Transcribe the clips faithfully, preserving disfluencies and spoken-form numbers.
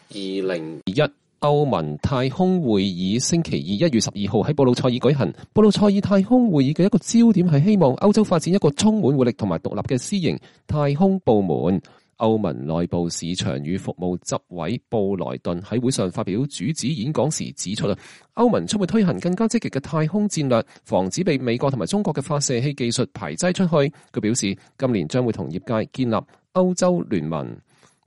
二零二一歐盟太空會議星期二一月十二號喺布魯塞爾舉行。布魯塞爾太空會議嘅一個焦點係希望歐洲發展一個充滿活力同埋獨立嘅私營太空部門。歐盟內部市場與服務執委布萊頓喺會上發表主旨演講時指出，歐盟將會推行更加積極嘅太空戰略，防止被美國同埋中國嘅發射器技術排擠出去。佢表示，今年將會同業界建立歐洲聯盟。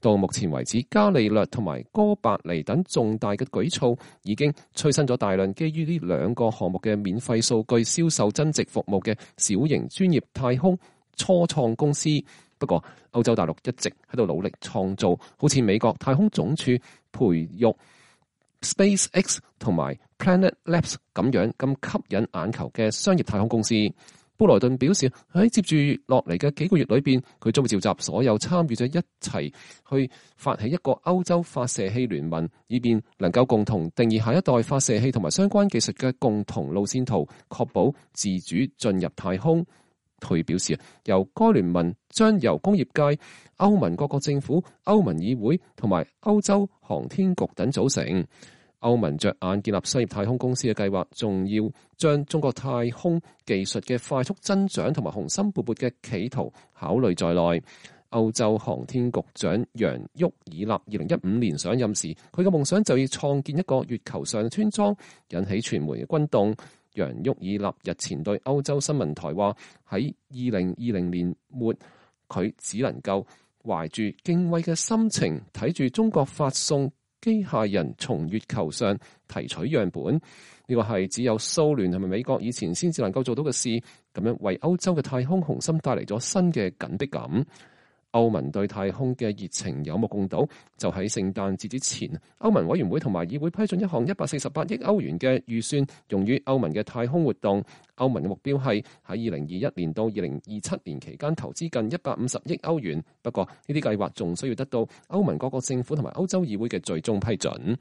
到目前為止，伽利略同埋哥白尼等重大嘅舉措已經催生咗大量基於呢兩個項目嘅免費數據銷售增值服務嘅小型專業太空初創公司。不過，歐洲大陸一直喺度努力創造好似美國太空總署培育 SpaceX 同埋 Planet Labs 咁樣咁吸引眼球嘅商業太空公司。布萊頓表示喺接住落嚟嘅幾個月裏邊，佢將會召集所有參與者一齊去發起一個歐洲發射器聯盟，以便能夠共同定義下一代發射器同埋相關技術嘅共同路線圖，確保自主進入太空。佢表示，由該聯盟將由工業界、歐盟各國政府、歐盟議會同埋歐洲航天局等組成。歐盟着眼建立商業太空公司嘅計劃，仲要將中國太空技術嘅快速增長同埋雄心勃勃嘅企圖考慮在內。歐洲航天局長楊沃爾納二零一五年上任時，佢嘅夢想就要創建一個月球上村莊，引起傳媒嘅轟動。楊沃爾納日前對歐洲新聞台話，喺二零二零年末，佢只能夠懷住敬畏嘅心情睇住中國發送機械人從月球上提取樣本。呢個係只有蘇聯同埋美國以前先至能夠做到嘅事，咁樣為歐洲嘅太空雄心帶嚟咗新嘅緊迫感。歐盟對太空嘅熱情有目共睹，就喺聖誕節之前，歐盟委員會同埋議會批准一項一百四十八億歐元嘅預算，用於歐盟嘅太空活動。歐盟嘅目標係喺二零二一年到二零二七年期間投資近一百五十億歐元。不過呢啲計劃仲需要得到歐盟各國政府同埋歐洲議會嘅最終批准。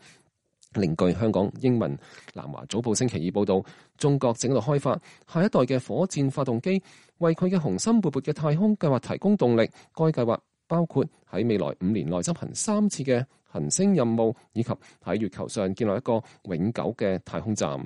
另據香港英文南華早報星期二報道，中國正喺度開發下一代嘅火箭發動機，為佢嘅雄心勃勃嘅太空計劃提供動力。該計劃包括喺未來五年內執行三次嘅行星任務，以及喺月球上建立一個永久嘅太空站。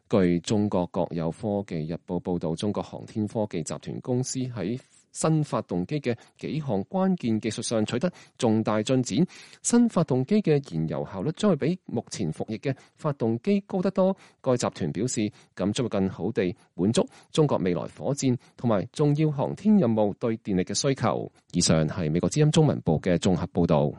據中國國有科技日報報道，中國航天科技集團公司喺新發動機嘅幾項關鍵技術上取得重大進展。新發動機嘅燃油效率將會比目前服役嘅發動機高得多。該集團表示，咁將會更好地滿足中國未來火箭同埋重要航天任務對電力嘅需求。以上係美國之音中文部嘅綜合報導。